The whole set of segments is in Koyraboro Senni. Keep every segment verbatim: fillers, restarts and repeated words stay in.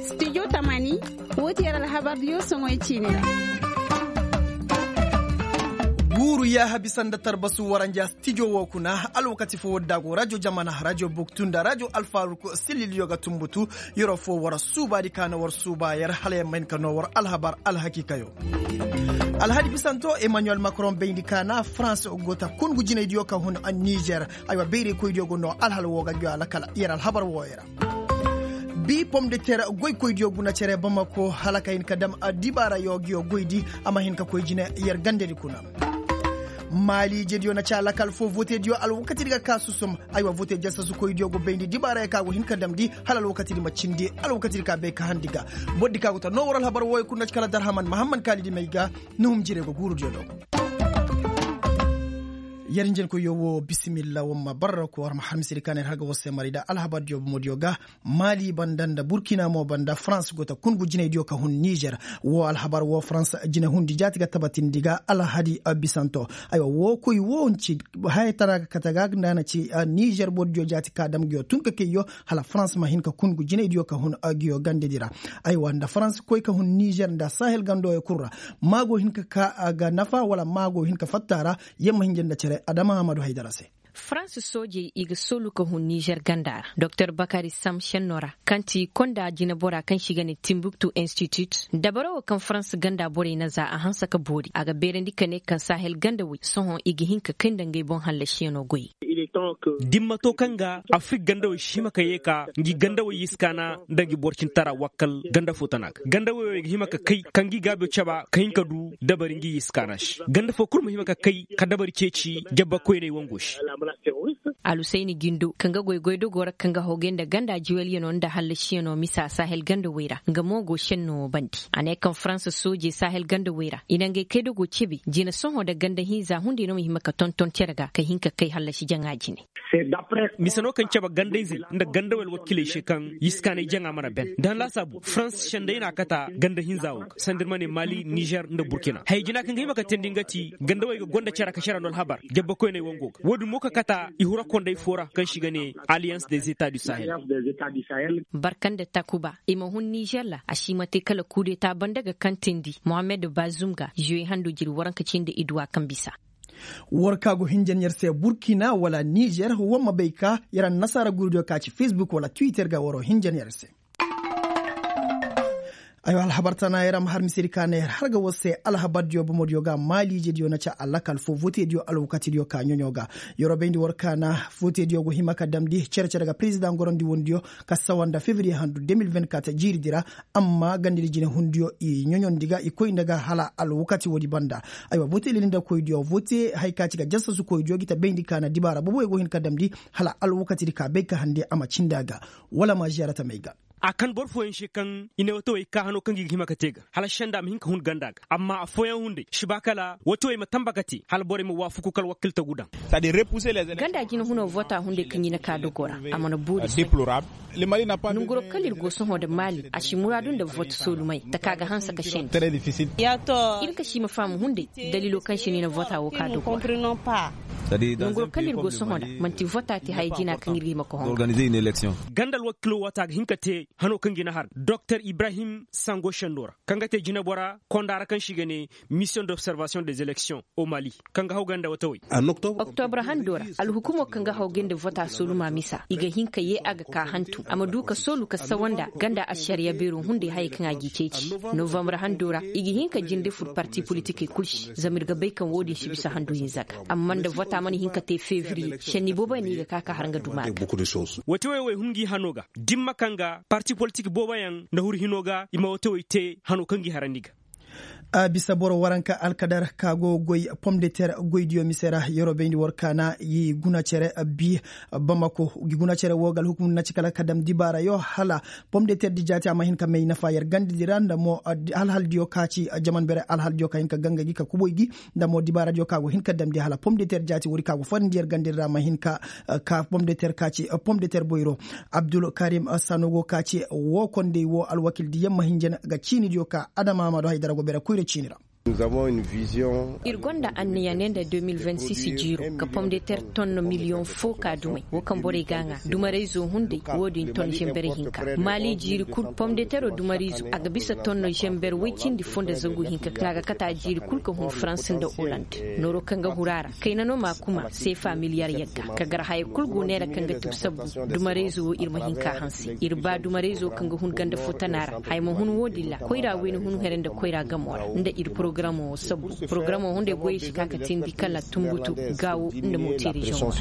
Studio tamani. Woo ti yer alhabar diyo soŋoy ciini ra. Guuru yaaha bisa nda tarbasu waranja stijo woo kuna alwakati foo war daago rajo jamana rajo buktu nda rajo alfaruk sililiyo ga tumbutu. Yeroo foo war suubaadi ka na war suuba yer hala yer ma hin ka noo war alhabar alhakiikayo. Alhadi bisanto emmanuel makron bayndi ka na farans go ta kungu jinaydiyo ka hun nizer. Aywa bayrekoydiyo go noo alhala woo ga ngi alakal yer alhabar wooyo ra. Bi pom de ter goykoydiyo guna cere bamako hala ka hin ka dam dibaarayo ngiyo goydi. A ma hin ka koy jine yer gandedi kuna. Maali ijediyo na ci alakal foo votediyo alwakatidi ga ka susum. Aywa vote jasasukoydiyo go bayndi dibaarayo ka go hin ka damndi hala alwakatidi ma cindi alwakatidi ka bay ka handi ga. Bordi ka go ta noo war alhabar wooyo kuna ci kala darhaman mahamman kaalidi may ga. Nuhum jire go guurudiyo do. Yer njenkoyyo woo bisimilla war ma barra ko war ma har misedi ka na yer har ga war se mari nda alhabardiyo bomodiyo ga. Maali banda nda burkina mo banda farans go ta kungu jinaydiyo ka hun nizer. Woo alhabar woo farans jinahundi jaati ga tabatindi ga alhadi bisanto. Aywa woo koy woo nci haya tara ga kate ga nda na ci nizer bordiyo jaati ka dam nguyo tun ka kayyo. Hala farans ma hin ka kungu jinaydiyo ka hun nguyo gandedi ra. Aywa nda farans koy ka hun nizer nda sahel gandooyo kul ra. Maa go hin ka ka ga nafa wala maa go hin ka fatta ra. Yer ma hinja nda cere adama amadu haydara se. Farans soojey i ga soolu ka hun nizer ganda ra doktor bakari sam šenno ra, kaŋ ti konda jineboraa kaŋ se i ga ne timbuktu institut dabara woo kaŋ farans ganda borey na za a hanse ka boori a ga beerandi ka ne kaŋ sahel gandawey sohõ i ga hin ka kay nda ngey boŋ hallasiyanoo goy. Da ni ma to kaŋ ga afrik gandawey si hima ka yee ka ngi gandawey yiskaana nda ngi borcintara wakkal ganda foo tana ga gandawey wo i ga hima ka kay ka ngi gaabiyo caba ka hin ka du dabari ngi yiskaana se ganda foo kul ma hima ka kay ka dabari ceeci jabbakoyney wango se. Alusayni jindo kaŋ ga goy goydogoo ra kaŋ ga hogey nda ganda juwelyano nda hallasiyanoo misa sahel gandawey ra nga mo go šenno wo bande a ne kaŋ faransa soojey sahel gandawey ra i na ngey kaydogoo cebe jina sohõ nda ganda hinza hunday no ma hima ka tonton cere ga ka hin ka kay hallasi jaŋa jine. Mise no kaŋ cabe gandayzey nda gandawey alwakiiley se kaŋ yiskaanay jaŋa mana ben da han laasaabu farans senday na a kata ganda hinza wo ga sanda ir ma ne mali nizer nda burkina haya jina kaŋ ga hima ka teendi nga ti gandawey ga gonda cere ka cere no alhabar jabbakoyney wango ga wo- din mo ka kata i hura konday foo ra kaŋ se i ga ne alliance des etats du sahel. Barka nda takuba i ma hun nizer ra a si ma te kala kudeta banda ga kaŋ teendi mohammed bazum ga zuwe hando jiri waranka cindi iduwa kaŋ bisa. War ka go hinjan yer se burkina wala nizer war ma bay ka yer annasaara gurudiyo ka ci facebook wala twitter ga waro hinjan yer se. Aywa alhabar tana yer a ma har misedi ka na yer har ga war se alhabardiyo bomodiyo ga maaliijediyo na ca alakal fo votediyo alwakatidiyo ka ɲoɲo ga. Yer wo bayndi war ka na votediyo go hima ka damndi cere-cere ga perezidaŋ gorondi wondiyo ka sawa nda fevriye handu deux mille vingt-quatre jiiridi ra. Amma gandedi jinehundiyo i ɲoɲondi ga i koy nda ga hala alwakati woodi banda. Aywa vote leli nda koydiyo vote haya ka ci ga jasasukoydiyo gi ta bayndi ka na dibaara boboyo go hin ka damndi hala alwakatidi ka bay ka hande a ma cindi a ga. Wala ma ziyaara tamey ga. A kan boro fooyaŋ se kaŋ i ne watawey ka hano kaŋ gi ga hima ka te ga hala senda ma hin ka hun ganda ga amma affooyaŋ hunday si ba kala watawey ma tamba ka te hala borey ma waafaku kala wakkiltagu daŋ. Ganda jinehunoo vota hunday kaŋ i na ka dogoo ra a mana boori se. Nanguroo kala ir go sohõ nda maali a si muraadu nda vote soolumey taka ga hanse ka senda. Ir ka si ma faham hunday daliiloo kaŋ se no i na vota woo ka dogoo ra. Nanguroo kala ir go sohõ nda man'ti vota te haya jina kaŋ ir ga hima ka hõ. Ganda alwakiiloo waati a ga hin ka te hanoo kaŋ ga i na har doktor ibrahim sango sendo ra kaŋ ga te jinebora konda ra kaŋ se i ga ne mission d'observation des élections au mali kaŋ ga haw ganda watawey. Oktobra hando ra alhukumoo kaŋ ga haw gay nda vota sooluma misa i ga hin ka yee a ga ka hantum a ma du ka soolu ka sawa nda ganda ašariya beeroo hunday hayey kaŋ a g'i ceeci. Novambra hando ra i ga hin ka jinde fur parti politikey kul se zama ir ga bay kaŋ woo din si bisa handu hinza ga amma nda vota mana hin ka te fevriye šenni booboyaŋ no i ga ka ka har nga duma ga. Watawey wo i hun ngi hanoo ga dimma kaŋ ga parti politik booboyaŋ nda huru hinoo ga i ma watawey te hanoo kaŋ gi harandi ga. A bisa boro waranka alkadar ka go goy pom de ter goydiyo mise ra yeroo bayndi war kaana i guna cere bi bamako gi guna cere woo ga alhukumu na ci kala ka dam dibaarayo hala pom de ter di jaati a ma hin ka may nafa yer gandedi ra nda mo alhaldiyo ka ci jaman bere alhaldiyo ka hin ka ganga gi ka kuboy gi nda mo dibaaradiyo ka go hin ka damndi hala pom de ter jaati woodi ka go farandi yer gandedi ra ma hin ka ka pom de ter ka ci pom de ter boyro. Abdul karim sanogo ka ci woo kondey woo alwakildi yamma hinjan ga ciinidiyo ka adama ma do haydara go bere koyra ciini ra. Ir gonda anniya ne nda deux mille vingt six jiiro ka pomdeter ton miliyoŋ fo ka dumay wo kaŋ borey ga a ŋaa dumarayzo hunday. Wo-din ton zember hinka maali jiiri kul pomdetero dumarayzo a ga bisa ton zember woy cindi fo nda zangu hinka kaŋ a ga kate a jiiri kul ka hun farans nda oland. Nooro kaŋ ga huru a ra kayna no ma kuma seefa miliyar yagga ka gar haya kul go neera kaŋ ga tub sabbu. Dumarayzo wo ir ma hin ka hanse ir ba dumarayzo kaŋ ga hun ganda fo tana ra haya ma hun wo-din ra koyra wayna hun here nda koyra gamo ra nda ir porogaramo wo sabbu. Porogaramo hunday goyey si ka ka teendi kala tunbutu gaawo nda mooteerizoŋ.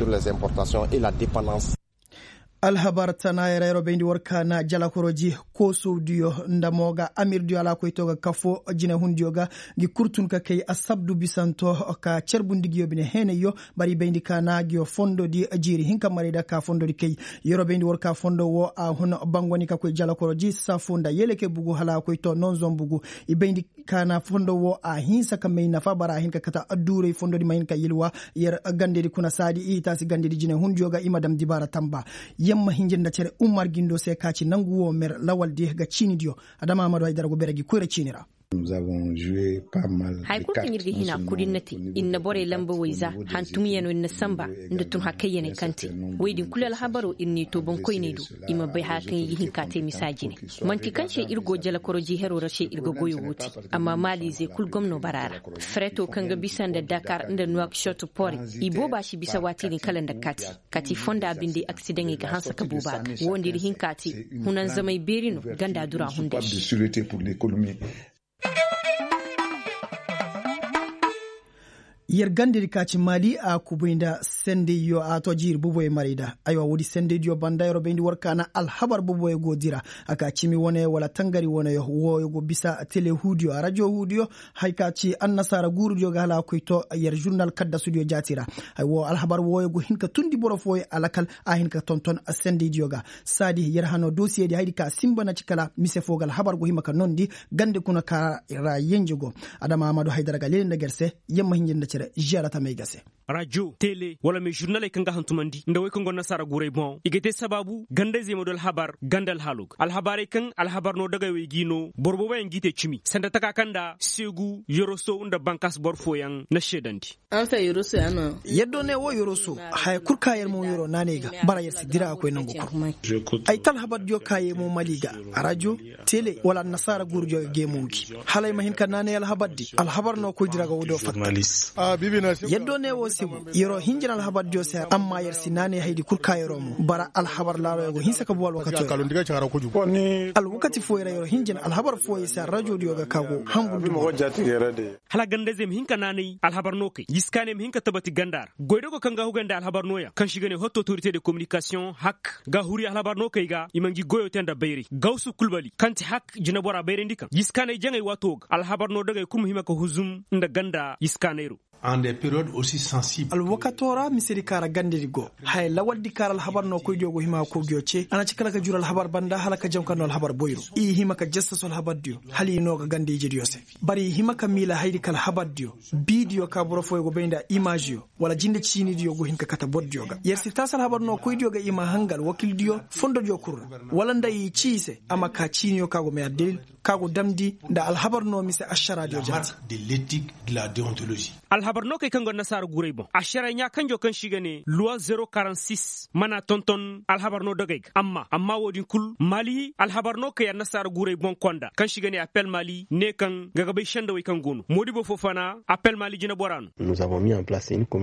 Alhabar tana yara yaro bayndi war ka na jalakoroji koosowdiyo nda mo ga amirdiyo alaakoyto ga kafo jinehundiyo ga. Ngi kul tun ka kay asabdu bisanto ka carbundi ngiyo bine heenayyo. Bari bayndi ka na ngiyo fondodi jiiri hinka marayda ka fondodi kay. Yaro bayndi war ka fondo wo a hun bangoni ka koy jalakoroji safo nda yeleke bugu hala a koy to nonzon bugu. I bayndi ka na fondo wo a hinsa ka may nafa bara a hin ka kate adduuray fondodi ma hin ka yilwa. Yer gandedi kuna saadi i taasi gandedi jinehundiyo ga i ma dam dibaara tamba. Yer ma hinjir nda cere umar gindo se ka ci nangu wo mer lawaldi ga ciinidiyo. Adama amadu haydara go bere gi koyra ciini ra. Haya kul kaŋ ir ga hina kul ir na te ir na borey lamba wayza hantumyaŋo ir na sanba nda tun hakayyaney kaŋ te. Wey din kul alhabaro ir n'i to boŋkoyney do. I ma bay haya kaŋ i ga hin ka te misa jine. Man'ti kaŋ se ir go jalakoroji hero ra se ir ga goyo wo te. Amma maaliizey kul gomno bara ra. Fereto kaŋ ga bisa nda dakar nda nuwak shot pore. I booba si bisa waati din kala nda kaati. Kaati fonda binde aksidaŋey ga hanse ka booba ga wo nda ir hin ka te. Hunanzamey beeri no ganda dura hunday. Yer gandedi ka ci maali a kubay nda sendayyo a to jiiri boboyo maray da. Aywa woodi sendaydiyo banda yer bayndi war ka na alhabar boboyo go dira. A ka cimi wane wala tangari wane wooyo go bisa tele huudiyo a rajo huudiyo. Hay ka ci annasaara guurudiyo ga hala a koy to yer žurnal kaddasudiyo jaati ra. Hay wo alhabar wooyo go hin ka tundi boro fooyo alakal a hin ka tonton sendaydiyo ga. Saadi yer hano dosiyedi haydi ka sinba na ci kala mise foo ga alhabar go hima ka nondi. Gande kuna ka ra yenje go. Adama amadu haydara ga leele nda ger se. Yer ma hinjir nda cere žeera tamey ga se. Rajo tele wala me žurnaley kaŋ ga hantumandi nda wey kaŋ go nasaara guuray boŋ i ga te sabaabu gandayzey ma du alhabar ganda alhaalo ga alhabaarey kaŋ alhabar no dagay wey g'i no boro booboyaŋ g'i te cimi sanda taka kaŋ nda seegu yoroso nda bankaas boro fooyaŋ na seedandi. Yaddo ne wo yoroso haya kul ka yer mo yoro naanay ga bara yer si dira a koy nangu kul. Ay ta alhabardiyo ka yer mo mali ga rajo tele wala annasaara guurudiyo ga geemongi hala ay ma hin ka naanay alhabardi alhabar no koydi ra ga woodiyo fatta. Yaddo ne wo se bu yer'o hinjin alhabardiyo se amma yer si naanay haydi kul ka yer'o mo bara alhabar laaloyo go hinsa ka bu alwakatiyo ra. Alwakati fooyo ra yer'o hinjin alhabar fooyo se arrajodiyo ga ka go hanbundu. Hala gandayzey ma hin ka naanay alhabar no kay yiskaaney ma hin ka tabati ganda ra goydogo kaŋ ga hugay nda alhabar nooyaŋ kaŋ se i ga ne hotto autorite de kominikasiyoŋ hak ga huri alhabar no kay ga i ma ngi goyo te nda bayray gawsu kulbali kaŋ ti hak jinebora bayrandi kaŋ yiskaaney jaŋay waato ga alhabar no dagey kul ma hima ka huzum nda ganda yiskaaney ro. Alwakato ra misedi ka ra gandedi go haya lawaldi ka ra alhabar no koydiyo go hima ka kogiyo ce a na ci kala ka juru alhabar banda hala ka jaŋ ka no alhabar boyro i hima ka jastasu alhabardiyo hala i no ga ganda ijediyo se. Bari i hima ka miila haydi ka alhabardiyo biidiyo ka boro fooyo go bay nda imaaziyo wala jinde ciinidiyo go hin ka kate bordiyo ga yer si taasi alhabar no koydiyo ga i ma hanga alwakildiyo fondodiyo kul ra wala nda i ci i se a ma ka ciiniyo ka go may addalil ka go damndi nda alhabar no mise ašaraadiyo jaati. Alhabar no kay kaŋ go nasaara guuray boŋ ašaray ɲaa kanjo kaŋ se i ga ne luwa zero quarante six mana tonton alhabar no dogey ga amma amma wo-din kul maali alhabar no kay annasaara guuray boŋ konda kaŋ se i ga ne appel maali ne kaŋ nga ga bay sendawey kaŋ go no moodibo foo fana appel maali jineboraa no.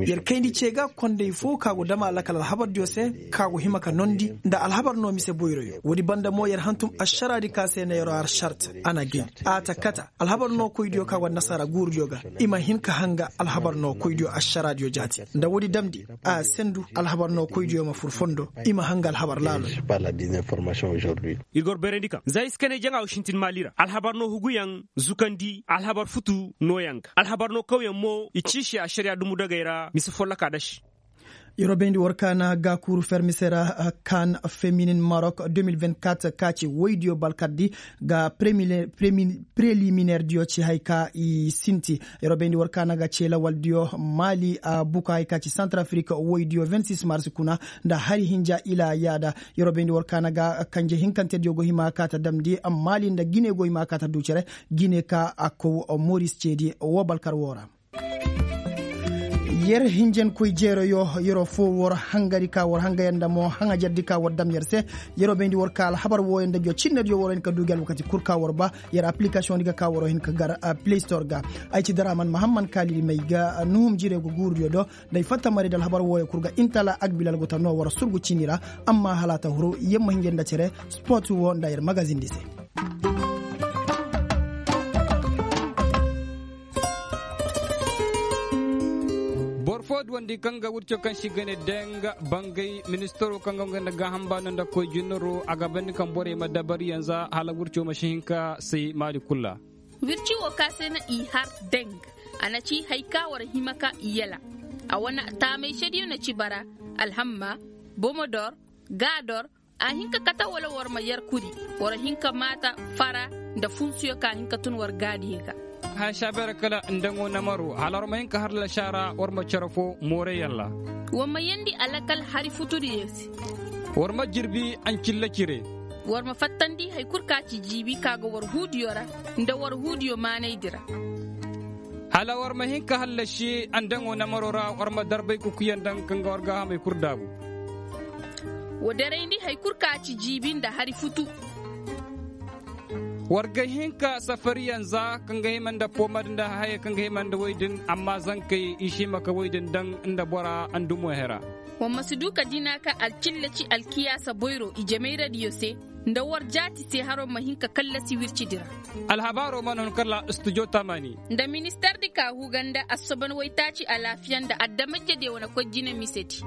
Yer kayndi ce ga kondey foo ka go dam alakal alhabardiyo se ka go hima ka nondi nda alhabar no mise boyroyo woodi banda mo yer hantum ašaraadi ka se na yer'o har sart a na gay a ta kata alhabar no koydiyo ka go annasaara guurudiyo ga i ma hin ka hanga alhabar no koydiyo ašaraadiyo jaati nda woodi damndi a sendu alhabar no koydiyo ma fur fondo i ma hanga alhabar laalo. Ir ga war bayrandi kaŋ za i si kanay jaŋa wo sintin maali ra alhabar no huguyaŋ zukandi alhabar futu nooyaŋ ga alhabar no kawyaŋ mo i ci se ašariya dumu dagey ra mise folloka da se. Yeroo bayndi war kaana gaakuuru fermisera kan feminin marok deux mille vingt-quatre ka ci woydiyo balkardi ga preliminaire diyo ci hay ka i sinti. Yeroo bayndi war kaana ga ce lawaldiyo maali buka hay ka ci santarafrik woydiyo vingt-six mars kuna nda hari hinja ila yaada. Yeroo bayndi war kaana ga kanje hinkantediyo go hima ka ta damndi maali nda gine go hima ka ta du cere gine ka a kow moris ceedi woo balkar woo ra. Yer hinjankoy jeeroyo yeroo foo war hangadi ka war hangayaŋ nda mo haŋajardi ka war dam yer se. Yeroo bayndi war ka alhabar wooyo nda jo cinnediyo waroo hin ka duu gi alwakati kul ka war ba yer aplikasiyoŋdi ga ka waroo hin ka gar play store ga. Ay ci daraman mahamman kaalidi may ga nuhum jirey go guurudiyo do nda ay fatta mari nda alhabar wooyo kul ga intala agbilal go ta noo war surgu cini ra. Amma hala a ta huru yer ma hinja nda cere sport woo nda yer magazindi se. Boro foo duwandi kaŋ ga wirco kaŋ se i ga ne deŋ bangay ministaro kaŋ ga nga nda gaaham baano nda koy jinnaro a ga bandi kaŋ borey ma dabariyaŋ za hala wirco ma si hin ka say maali kul ra. Wirci woo ka se na i har deŋ a na ci hay ka war hima ka i yala. A wane taamay sediyo na ci bara alhamma, bomodor, gaador. A hin ka kate wala war ma yer kuri war hin ka maata fara nda funsuyo ka hin ka tun war gaadiyo ga. Haya saabeera kala nda ŋo namaro hala war ma hin ka har lasaara war ma cere foo mooray yalla. War ma yeendi alakal hari futudiyo se. War ma jirbi ancilla cire. War ma fattandi hay kul ka ci jiibi ka ga war huudiyo ra nda war huudiyo maanaydi ra. Hala war ma hin ka hallasi andaŋo namaro ra war ma darbay kukuyaŋ daŋ kaŋ ga war gaahamey kul daabu. Wa darayndi hay kul ka ci jiibi nda hari futu. War ga hin ka safariyaŋ za kaŋ ga hima nda poomad nda hayey kaŋ ga hima nda woy din amma zankey i si hima ka woy din daŋ nda bora ndumo hera. War ma si du ka dina ka alcillaci alkiyaasa boyro ijemayradiyo se nda war jaati se haro ma hin ka kallasi wircidi ra. Alhabaaro mana hun kala studio tamani. Nda ministardi ka huga nda assoban waytaaci alaafiya nda adamajediyo wane koy jine misedi.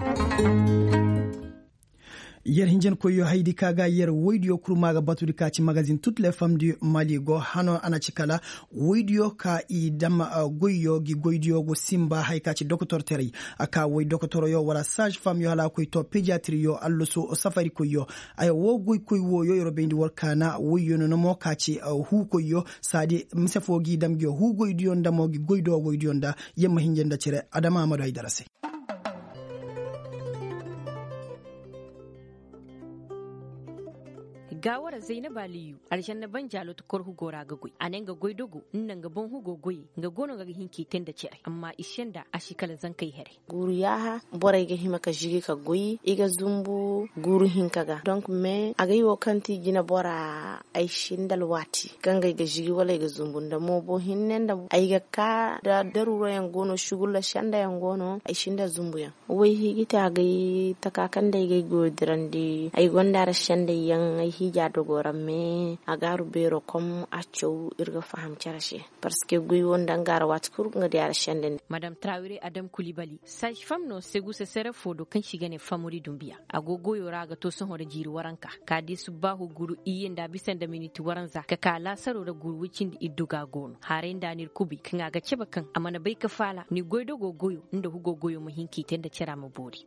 Yer hinjankoyyo haydi ka ga yer woydiyo kurma ga batudi ka ci magazin tut le fam di mali go hano a na ci kala woydiyo ka i dam goyyo gi goydiyo go simba hay ka ci dokotorteray. A ka woy dokotoroyo wala sage famyo hala a koy to pediatriyo allusu safarikoyyo. Aya woo goykoy wooyo yer wo bayndi war kaana woyyo no no mo ka ci huukoyyo saadi mise foo g'i dam nguyo huugoydiyo nda mo gi goydoogoydiyo nda. Yer ma hinja nda cere adama amadu haydara se. Gaawara zaynaba liyu alžanna banjaalo ta kor hugo ra ga goy a ne nga goydogo nda nga boŋ hugo goyey nga go no nga ga hin k'i te nda cere amma i senda a si kala zankey here. Guuru yaaha borey ga hima ka žigi ka goy i ga zumbu guuru hinka ga donk mais agay wo kaŋ ti jinebora ay si nda alwaati kaŋ ga ay ga žigi wala ay ga zumbu nda moobo hinne nda ay ga ka da daruurayaŋ go no sugulla sendayaŋ go no ay si nda zumbuyaŋ. Way hiiji te agay taka kaŋ day ga ay goyo dirandi ay gonda ra sendayyaŋ ay hiija dogo ra mais a gaaru beero kom a caw ir ga faham cere se. Parceque goy wo nda nga ra waati kul nga di a ra sendandi. Madam trawire adam kulibali sage fam no segusa sere fo do kaŋ si ga ne famuri dumbiya a go goyo ra a ga to sohõ ra jiiri waranka ka di subbaahu guru iyye nda bisa nda miniti waranza ka ka laasaro ra guru wicindi iddu ga go no haray nda n'ir kubi kaŋ a ga cabe kaŋ a mana bay ka faala ni goydogo goyo nda hugo goyo ma hin k'i te nda cara ma boori.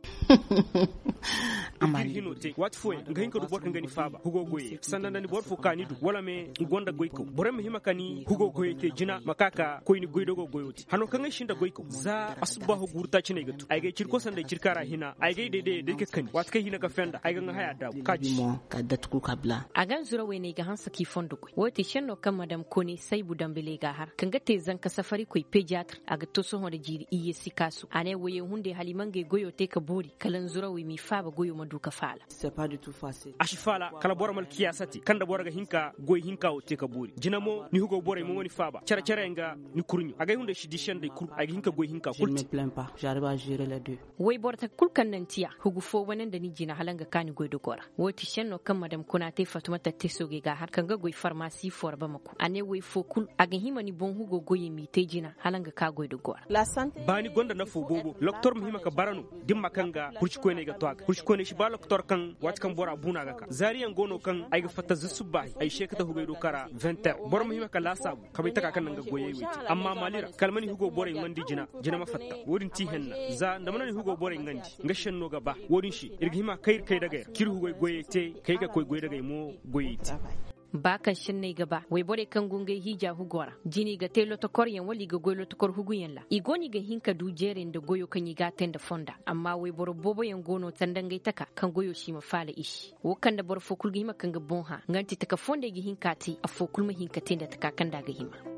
Waati fooyaŋ nga hin ka du boro kaŋ ga ni faaba hugo goyey sanda nda ni boro fo ka ni du wala me nga gonda goykaw borey ma hima ka ni hugo goyey te jina ma ka ka koy ni goydogo goyo te hano kaŋ ay si nda goykaw za asubbaahu guuru taaci no ay ga tu ay ga ay ciri kosa nda ay ciri kaara hina ay ga ay daydayey day ka kani waati kaŋ ay hina ka fenda ay ga nga haya daabu ka ci. A ga nzurawey no ay ga hanse k'i fondo goy wo ti senno kaŋ madam kone saybu dambeley ga a har kaŋ ga te zanka safarikoy pediatre a ga to sohõ nda jiiri iyye sikaasu a ne woyey hunday hala i ma ngey goyo te ka boori kala nzurawey m'i faaba goyo ma du ka faala. A si faala kala boro ma alkiyaasa te kaŋ nda boro ga hin ka goy hinka wo te ka boori jina mo ni hugo borey ma wane faaba care-careyaŋ ga ni kurɲo agay hunday si di sendey kul ay ga hin ka goy hinka kul te. Wayboro taka kul kaŋ naŋ ti a hugu fo wane nda ni jina hala nga ka ni goy dogo ra. Wo ti senno kaŋ madam kuna te fatumata te soogey ga a har kaŋ ga goy farmasi fo ra bamako a ne way fo kul a ga hima ni boŋ hugo goyey m'i te jina hala nga ka goy dogo ra. Baani gonda nafo boobo loktor ma hima ka bara no dimma kaŋ ga kurcikoyney ga to a ga kurcikoyney si ba loktor kaŋ waati kaŋ bora buuna ga ka zaariyaŋ go no. kaŋ ay ga fatta za subbaahi ay se ka ta hugay do kara venter boro ma hima ka laasaabu ka bay taka kaŋ na nga goyey wey te. Amma maali ra kala ma ni hugo borey ŋwandi jina jina ma fatta. Wo-din ti henna za nda mana ni hugo borey ŋwandi nga senno ga ba. Wo-din se ir ga hima kay ir kay dagey ra k'ir hugay goyey te kay ga koy goy dagey mo goyey te. Ba kaŋ senney ga ba wayborey kaŋ go ngey hiija hugo ra jina i ga te lotokoryaŋ wala i ga goy lotokor huguyaŋ ra i go no i ga hin ka du jeeray nda goyo kaŋ i g'a te nda fonda. Amma wayboro booboyaŋ go no sanda ngey taka kaŋ goyo se i ma faala i se. Wo kaŋ nda boro foo kul ga hima ka nga boŋ hã nga nda ti taka foo nda ay ga hin k'a te affoo kul ma hin ka te nda taka kaŋ nda a ga hima.